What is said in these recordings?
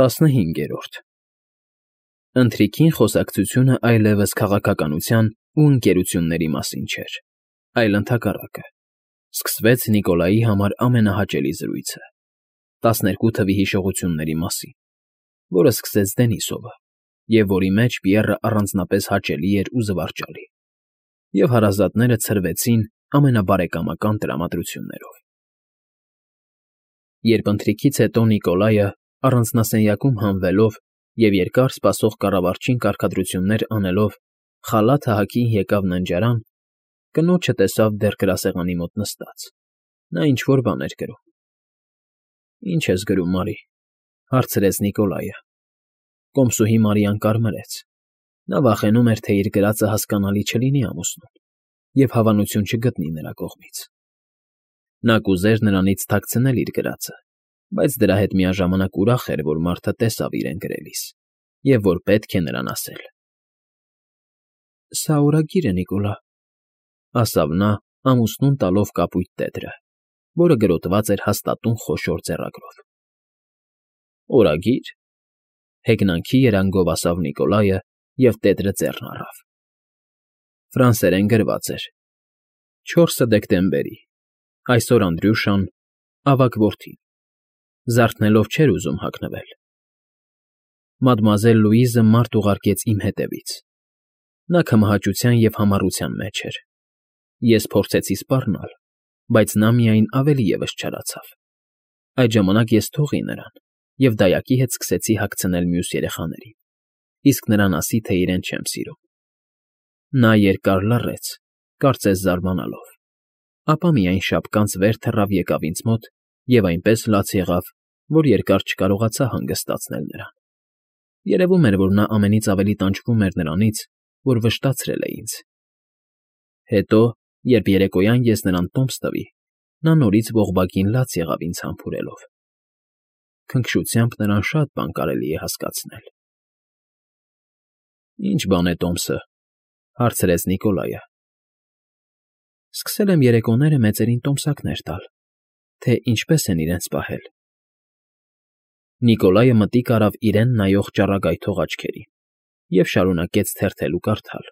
15 Ընթրիքին խոսակցությունը այլևս քաղաքականության ու ընկերությունների մասին չէր, այլ ընդհակառակը. սկսվեց Նիկոլայի համար ամենահաճելի զրույցը՝ 12 թվի հիշողությունների մասին, որը սկսեց Դենիսովը, և որի մեջ Պիեռը առանձնապես հաճելի էր ու զվարճալի, և հարազատները ցրվեցին ամենաբարեկամական տրամադրություններով։ Երբ ընթրիքից հետո Նիկոլայը, առանձնասենյակում հանվելով և երկար սպասող կառավարչին կարգադրություններ անելով, խալաթը հագին եկավ ննջարան, կնոջը տեսավ դեռ գրասեղանի մոտ նստած. նա ինչ֊որ բան էր գրում։ ֊ Ի՞նչ ես գրում, Մարի,֊ հարցրեց Նիկոլայը։ Կոմսուհի Մարիան կարմրեց. նա վախենում էր, թե իր գրածը հասկանալի չլինի ամուսնուն և հավանություն չգտնի նրա կողմից։ Նա կուզեր նրանից թաքցնել իր գրածը, բայց դրա հետ միաժամանակ ուրախ էր, որ մարդը տեսավ իրեն գրելիս և որ պետք է նրան ասել։ ֊ Սա օրագիր է, Նիկոլա,֊ ասավ նա, ամուսնուն տալով կապույտ տետրը, որը գրոտված էր հաստատուն խոշոր ձեռագրով։ ֊ Օրագի՞ր,֊ հեգնանքի երանգով ասավ Նիկոլայը և տետրը ձեռն առավ։ Ֆրանսերեն գրված էր. 4 դեկտեմբերի, այսօր Անդրյուշան, ավագ որդին, զարթնելով չէր ուզում հագնվել։ Մադմուազել Լուիզը մարդ ուղարկեց իմ հետևից։ Նա քմահաճության և համառության մեջ էր։ Ես փորձեցի սպառնալ, բայց նա միայն ավելի ևս չարացավ։ Այդ ժամանակ ես թողի նրան և դայակի հետ սկսեցի հագցնել մյուս երեխաներին, իսկ նրան ասի, թե իրեն չեմ սիրում։ Նա երկար լռեց, կարծես զարմանալով, ապա միայն շապկանց վեր թռավ եկավ ինձ մոտ և այնպես լաց եղավ, որ երկար չկարողացա հանգստացնել նրան։ Երևում էր, որ նա ամենից ավելի տանջվում էր նրանից, որ վշտացրել է ինձ։ Հետո, երբ երեկոյան ես նրան տոմս տվի, նա նորից ողբակին լաց եղավ ինձ համբուրելով։ Քնքշությամբ նրան շատ բան կարելի է հասկացնել։ ֊ Ի՞նչ բան է տոմսը,֊ հարցրեց Նիկոլայը։ ֊ Սկսել եմ երեկոները մեծերին տոմսակներ տալ, թե ինչպես են իրենց պահել։ Նիկոլայը մտիկ արավ իրեն նայող ճառագայթող աչքերին և շարունակեց թերթել ու կարդալ։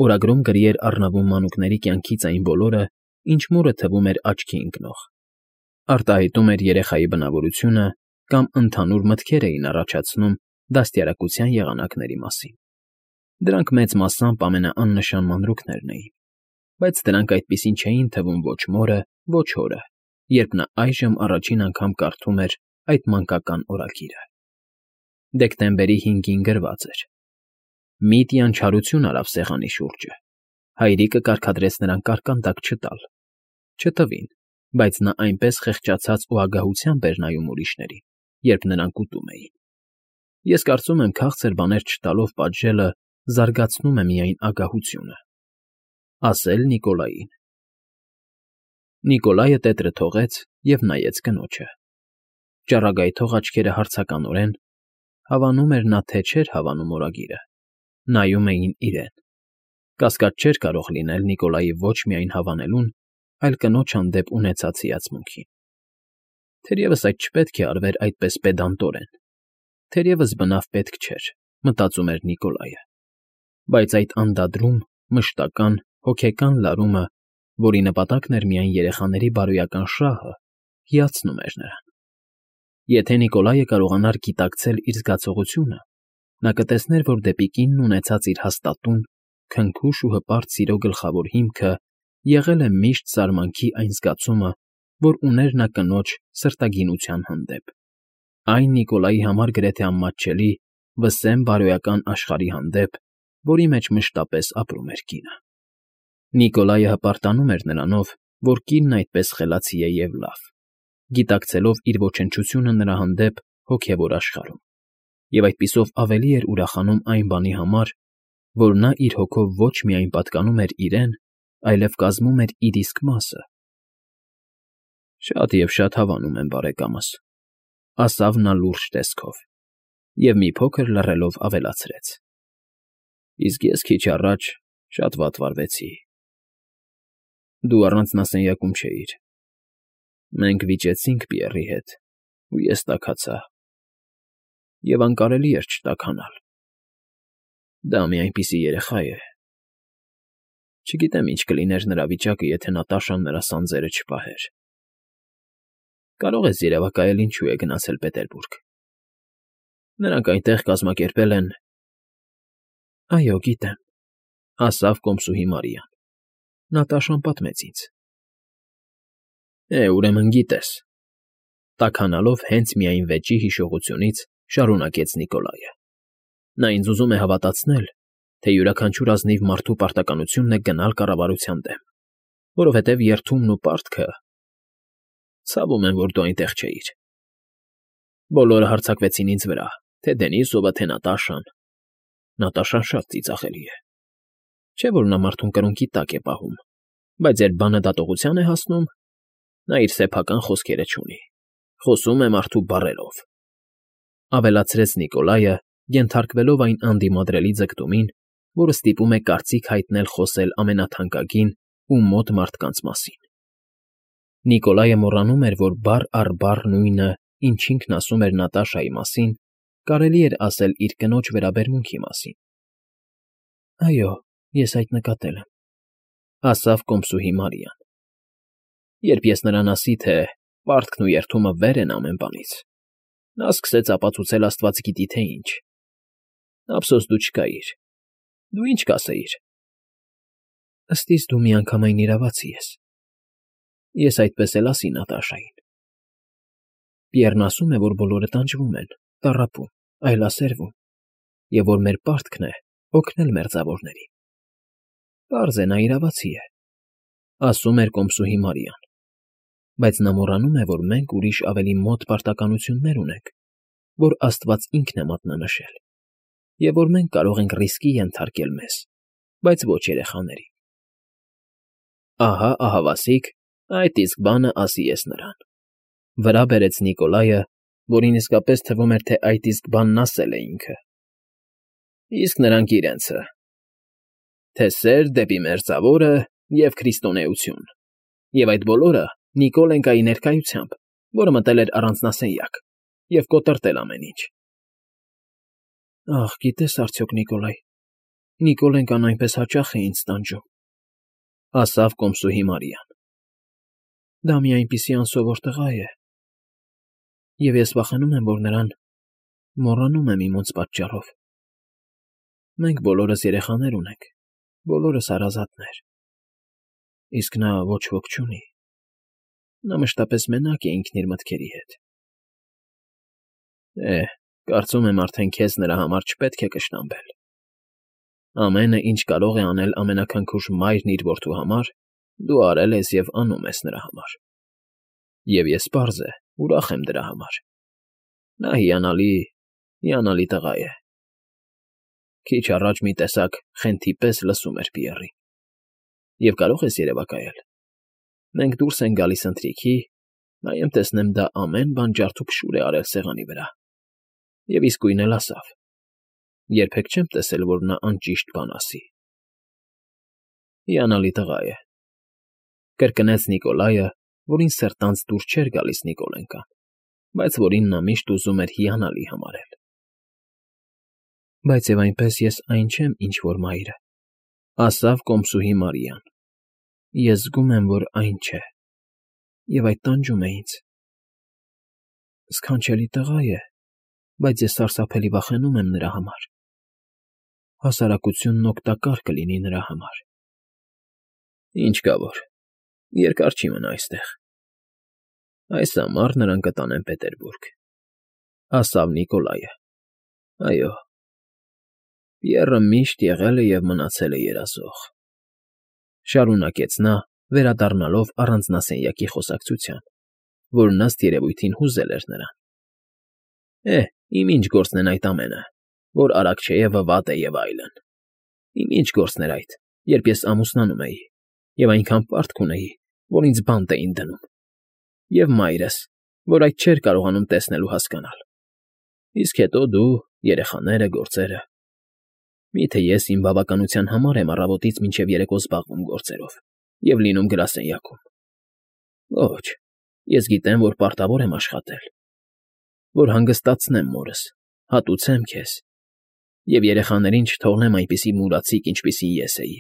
Օրագրում գրի էր առնվում մանուկների կյանքից այն բոլորը, ինչ մորը թվում էր աչքի ընկնող, արտահայտում էր երեխայի բնավորությունը կամ ընդհանուր մտքեր էին առաջացնում դաստիարակության եղանակների մասին։ Դրանք մեծ մասամբ ամենաաննշան մանրուքներն էին, բայց դրանք այդպիսին չէին թվում ոչ մորը, ոչ հորը, երբ նա այժմ առաջին անգամ կարդում էր այդ մանկական օրագիրը։ Դեկտեմբերի 5-ին գրված էր. Միտիան չարություն արավ սեղանի շուրջը, հայրիկը կարգադրեց նրան կարկանդակ չտալ։ Չտվին, բայց նա այնպես խեղճացած ու ագահությամբ էր նայում ուրիշներին, երբ նրանք ուտում էին։ Ես կարծում եմ, քաղցր բաներ չտալով պատժելը զարգացնում է միայն ագահությունը։ Ասել Նիկոլային։ Նիկոլայը տետրը թողեց և նայեց կնոջը։ Ճառագայթող աչքերը հարցականորեն, հավանում էր նա, թե չէր հավանում օրագիրը, նայում էին իրեն։ Կասկած չէր կարող լինել Նիկոլայի ոչ միայն հավանելուն, այլ կնոջ հանդեպ ունեցած հիացմունքին։ Թերևս այդ չպետք է արվեր այդպես պեդանտորեն, թերևս բնավ պետք չէր, մտածում էր Նիկոլայը, բայց այդ անդադրում, մշտական, հոգեկան լարումը, որի նպատակն էր միայն երեխաների բարոյական շահը, հիացնում էր նրան։ Եթե Նիկոլայը կարողանար գիտակցել իր զգացողությունը, նա կտեսներ, որ դեպի կինն ունեցած իր հաստատուն, քնքուշ ու հպարտ սիրո գլխավոր հիմքը եղել է միշտ զարմանքի այն զգացումը, որ ուներ նա կնոջ սրտագինության հանդեպ, այն Նիկոլայի համար գրեթե անմատչելի, վսեմ բարոյական աշխարհի հանդեպ, որի մեջ մշտապես ապրում էր կինը։ Նիկոլայը հպարտանում էր նրանով, որ կինն այդպես խելացի է և լավ, գիտակցելով իր ոչնչությունը նրա հանդեպ հոգևոր աշխարհում, և այդպիսով ավելի էր ուրախանում այն բանի համար, որ նա իր հոգով ոչ միայն պատկանում էր իրեն, այլև կազմում էր իր իսկ մասը։ Շատ և շատ հավանում եմ, բարեկամս,֊ ասավ նա լուրջ տեսքով և մի փոքր լռելով ավելացրեց. իսկ ես քիչ առաջ շատ վատ վարվեցի։ Դու առանձնասենյակում չէիր։ Մենք վիճեցինք Պիեռի հետ, ու ես տաքացա։ և անկարելի էր չտաքանալ։ Դա մի այնպիսի երեխա է… Չգիտեմ ինչ կլիներ նրա վիճակը, եթե Նատաշան նրա սանձերը չպահեր։ Կարող ես երևակայել ինչու է գնացել Պետերբուրգ։ Նրանք այնտեղ կազմակերպել են… Այո, գիտեմ, ասավ կոմսուհի Մարիան։ Նատաշան պատմեց ինձ։ Ուրեմն գիտես, տաքանալով հենց միայն վեճի հիշողությունից շարունակեց Նիկոլայը։ Նա ինձ ուզում է հավատացնել, թե յուրաքանչյուր ազնիվ մարդու պարտականությունն է գնալ կառավարության դեմ, որովհետև երդումն ու պարտքը… Ցավում եմ, որ դու այնտեղ չէիր։ Բոլորը հարձակվեցին ինձ վրա, թե Դենիսովը, թե Նատաշան։ Նատաշան շատ ծիծաղելի է։ Չէ՞ որ նա մարդուն կրունկի տակ է պահում, բայց երբ բանը դատողության է հասնում, նա իր սեփական խոսքերը չունի, խոսում է մարդու բառերով,֊ ավելացրեց Նիկոլայը, ենթարկվելով այն անդիմադրելի ձգտումին, որը ստիպում է կարծիք հայտնել խոսել ամենաթանկագին ու մոտ մարդկանց մասին։ Նիկոլայը մոռանում էր, որ բառ առ բառ նույնը, ինչ ինքն ասում էր Նատաշայի մասին, կարելի էր ասել իր կնոջ վերաբերմունքի մասին։ Այո, ես այդ նկատել եմ,֊ ասավ կոմսուհի Մարիան։ Երբ ես նրան ասի, թե պարտքն ու երդումը վեր են ամեն բանից, նա սկսեց ապացուցել աստված գիտի թե ինչ։ Ափսոս դու չկայիր։ Դու ինչ կասեիր։ Ըստ իս դու միանգամայն իրավացի ես։ Ես այդպես էլ ասի Նատաշային։ Պիեռն ասում է, որ բոլորը տանջվում են, տառապում, այլասերվում, և որ մեր պարտքն է օգնել մերձավորներին։ Պարզ է, նա իրավացի է,֊ ասում էր կոմսուհի Մարիան, բայց նա մոռանում է, որ մենք ուրիշ ավելի մոտ պարտականություններ ունենք, որ աստված ինքն է մատնանշել, և որ մենք կարող ենք ռիսկի ենթարկել մեզ, բայց ոչ երեխաներին։ Ահա, ահավասիկ, այդ իսկ բանը ասի ես նրան,֊ վրա բերեց Նիկոլայը, որին իսկապես թվում էր, թե այդ իսկ բանն ասել է ինքը։ Իսկ նրանք իրենցը… Թե սեր դեպի մերձավորը և քրիստոնեություն, և այդ բոլորը Նիկոլենկայի ներկայությամբ, որը մտել էր առանձնասենյակ և կոտրտել ամեն ինչ։ Ախ, գիտես արդյոք, Նիկոլայ, Նիկոլենկան այնպես հաճախ է ինձ տանջում,֊ ասավ կոմսուհի Մարիան։ Դա մի այնպիսի անսովոր տղա է, և ես վախենում եմ, որ նրան մոռանում եմ իմոց պատճառով։ Մենք բոլորս երեխաներ ունենք, բոլորս հարազատներ, իսկ նա ոչ ոք չունի։ Նա մշտապես մենակ է ինքն իր մտքերի հետ։ Կարծում եմ արդեն քեզ նրա համար չպետք է կշտամբել։ Ամենը, ինչ կարող է անել ամենաքնքուշ մայրն իր որդու համար, դու արել ես և անում ես նրա համար։ Եվ ես, պարզ է, ուրախ եմ դրա համար։ Նա հիանալի, հիանալի տղա է։ Քիչ առաջ մի տեսակ խենթի պես լսում էր Պիեռին։ Եվ կարող ես երևակայել։ Մենք դուրս ենք գալիս ընթրիքի, նայեմ տեսնեմ դա ամեն բան ջարդուփշուր է արել սեղանի վրա։ Եվ իսկույն էլ ասավ. երբեք չեմ տեսել, որ նա անճիշտ բան ասի։ Հիանալի տղա է,֊ կրկնեց Նիկոլայը, որին սրտանց դուր չէր գալիս Նիկոլենկան, բայց որին նա միշտ ուզում էր հիանալի համարել։ Բայց և այնպես ես այն չեմ, ինչ որ մայրը,֊ ասավ կոմսուհի Մարիան։ Ես զգում եմ, որ այն չէ, և այդ տանջում է ինձ։ Սքանչելի տղա է, բայց ես սարսափելի վախենում եմ նրա համար։ Հասարակությունն օգտակար կլինի նրա համար։ Ինչ կա որ, երկար չի մնա այստեղ։ Այս ամառ նրան կտանեն Պետերբուրգ,֊ ասավ Նիկոլայը։ Այո, Պիեռը միշտ եղել է և մնացել է երազող,֊ շարունակեց նա, վերադառնալով առանձնասենյակի խոսակցության, որն ըստ երևույթին հուզել էր նրան։ Իմ ինչ գործն են այդ ամենը, որ Արաքչեևը վատ է և այլն։ Իմ ինչ գործն էր այդ, երբ ես ամուսնանում էի, և այնքան պարտք ունեի, որ ինձ բանտ էին դնում, և մայրս, որ այդ չէր կարողանում տեսնել ու հասկանալ։ Իսկ հետո դու, երեխաները, գործերը… Միթե ես իմ բավականության համար եմ առավոտից մինչև երեկո զբաղվում գործերով և լինում գրասենյակում։ Ոչ, ես գիտեմ, որ պարտավոր եմ աշխատել, որ հանգստացնեմ մորս, Հատուցեմ քեզ, և երեխաներին չթողնեմ այնպիսի մուրացիկ, ինչպիսին ես էի։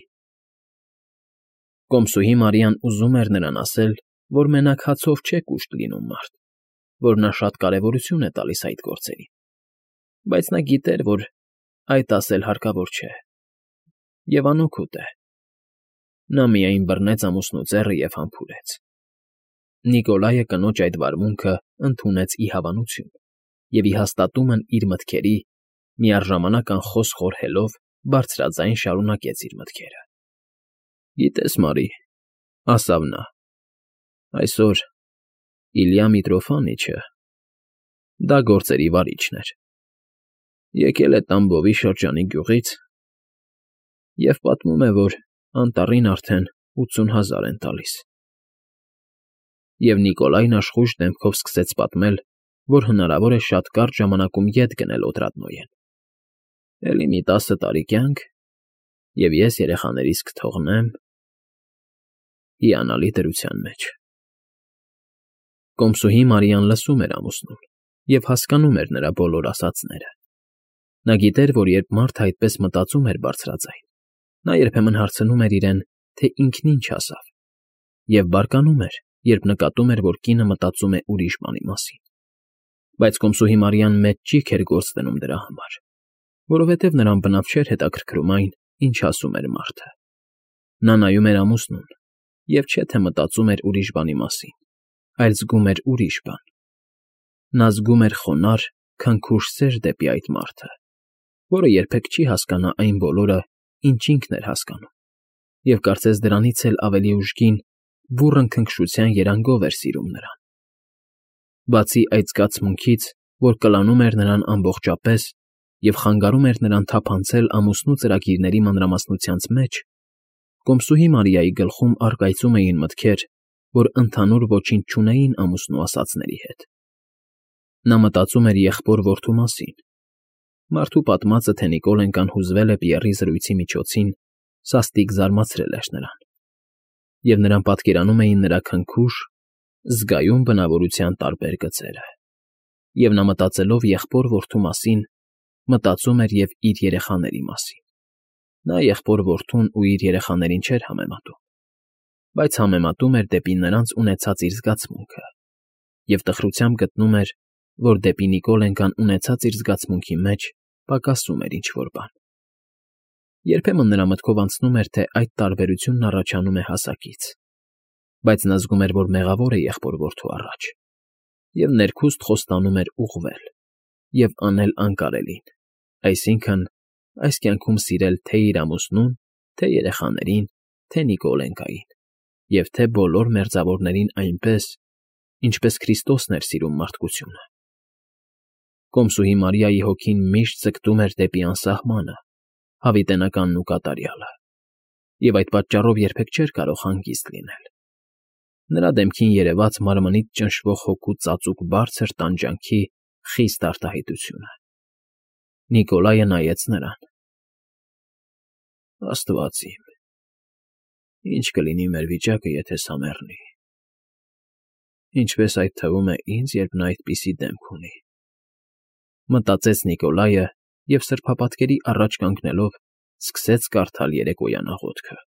Կոմսուհի Մարիան ուզում էր նրան ասել, որ մենակ հացով չէ կուշտ լինում մարդ, որ նա շատ կարևորություն է տալիս այդ գործերին, բայց նա գիտեր, որ այդ ասել հարկավոր չէ, և անօգուտ է։ Նա միայն բռնեց ամուսնու ձեռը և համբուրեց։ Նիկոլայը կնոջ այդ վարմունքը ընդունեց ի հավանություն և ի հաստատումն իր մտքերի, միառժամանակ անխոս խորհելով, բարձրաձայն շարունակեց իր մտքերը։ «Գիտես, Մարի,֊ ասավ նա,֊ այսօր Իլյա Միտրոֆանիչը դա գործերի վարիչն էր, եկել է Տամբովի շրջանի գյուղից և պատմում է, որ անտառին արդեն 80,000 են տալիս»։ Եվ Նիկոլայն աշխույժ դեմքով սկսեց պատմել, որ հնարավոր է շատ կարճ ժամանակում ետ գնել Օտրադնոյեն։ «Էլի մի 10 տարի կյանք, և ես երեխաներիս կթողնեմ հիանալի դրության մեջ»։ Կոմսուհի Մարիան լսում էր ամուսնուն և հասկանում էր նրա բոլոր ասածները։ Նա գիտեր, որ երբ մարդը այդպես մտածում էր բարձրաձայն, նա երբեմն հարցնում էր իրեն, թե ինքն ինչ ասավ, և բարկանում էր, երբ նկատում էր, որ կինը մտածում է ուրիշ բանի մասին։ Բայց կոմսուհի Մարիան մեծ ճիգ էր գործ դնում դրա համար, որովհետև նրան բնավ չէր հետաքրքրում այն, ինչ ասում էր մարդը։ Նա նայում էր ամուսնուն և չէ թե մտածում էր ուրիշ բանի մասին, այլ զգում էր ուրիշ բան։ Նա զգում էր խոնարհ, քնքուշ սեր դեպի այդ մարդը, որը երբեք չի հասկանա այն բոլորը, ինչ ինքն էր հասկանում, և կարծես դրանից էլ ավելի ուժգին, բուռն քնքշության երանգով էր սիրում նրան։ Բացի այդ զգացմունքից, որ կլանում էր նրան ամբողջապես և խանգարում էր նրան թափանցել ամուսնու ծրագիրների մանրամասնությանց մեջ, կոմսուհի Մարիայի գլխում առկայծում էին մտքեր, որ ընդհանուր ոչինչ չունեին ամուսնու ասածների հետ։ Նա մտածում էր եղբոր֊որդու մասին։ Մարդու պատմածը, թե Նիկոլենկան հուզվել է Պիեռի զրույցի միջոցին, սաստիկ զարմացրել էր նրան, և նրան պատկերանում էին նրա քնքուշ, զգայուն բնավորության տարբեր գծերը, և նա մտածելով եղբոր֊որդու մասին, մտածում էր և իր երեխաների մասին։ Նա եղբոր֊որդուն ու իր երեխաներին չէր համեմատում, բայց համեմատում էր դեպի նրանց ունեցած իր զգացմունքը և տխրությամբ գտնում էր, որ դեպի Նիկոլենկան ունեցած իր զգացմունքի մեջ պակասում էր ինչ֊որ բան։ Երբեմն նրա մտքով անցնում էր, թե այդ տարբերությունն առաջանում է հասակից, բայց նա զգում էր, որ մեղավոր է եղբոր֊որդու առաջ, և ներքուստ խոստանում էր ուղղվել և անել անկարելին, այսինքն՝ այս կյանքում սիրել թե՛ իր ամուսնուն, թե՛ երեխաներին, թե՛ Նիկոլենկային և թե՛ բոլոր մերձավորներին այնպես, ինչպես Քրիստոսն էր սիրում մարդկությունը։ Կոմսուհի Մարիայի հոգին միշտ ձգտում էր դեպի անսահմանը, հավիտենականն ու կատարյալը, և այդ պատճառով երբեք չէր կարող հանգիստ լինել։ Նրա դեմքին երևաց մարմնից ճնշվող հոգու ծածուկ բարձր տանջանքի խիստ արտահայտությունը։ Նիկոլայը նայեց նրան։ «Աստված իմ, ի՞նչ կլինի մեր վիճակը, եթե սա մեռնի, ինչպես այդ թվում է ինձ, երբ նա այդպիսի դեմք ունի», մտածեց Նիկոլայը և սրբապատկերի առաջ կանգնելով սկսեց կարդալ երեկոյան աղոթքը։